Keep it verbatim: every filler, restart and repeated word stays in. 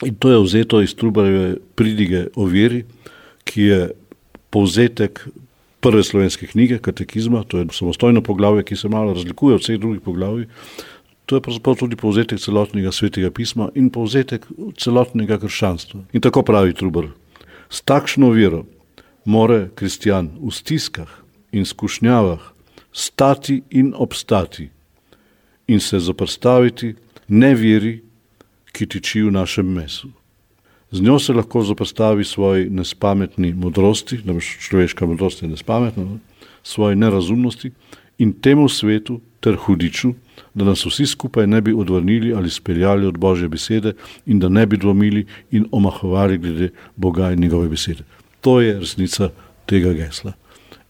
In to je vzeto iz Trubarjeve pridige o veri, ki je povzetek prve slovenske knjige, katekizma, to je samostojno poglavje, ki se malo razlikuje od vseh drugih poglavij. To je pravzaprav tudi povzetek celotnega svetega pisma in povzetek celotnega krščanstva. In tako pravi Trubar: s takšno vero more kristjan v stiskah in skušnjavah stati in obstati in se zoperstaviti neveri, ki tiči v našem mesu. Z njo se lahko zoperstavi svoji nespametni modrosti, namreč človeška modrost je nespametna, ne? Svoji nerazumnosti in temu svetu ter hudiču, da nas vsi skupaj ne bi odvrnili ali speljali od Božje besede in da ne bi dvomili in omahovali glede Boga in njegove besede. To je resnica tega gesla.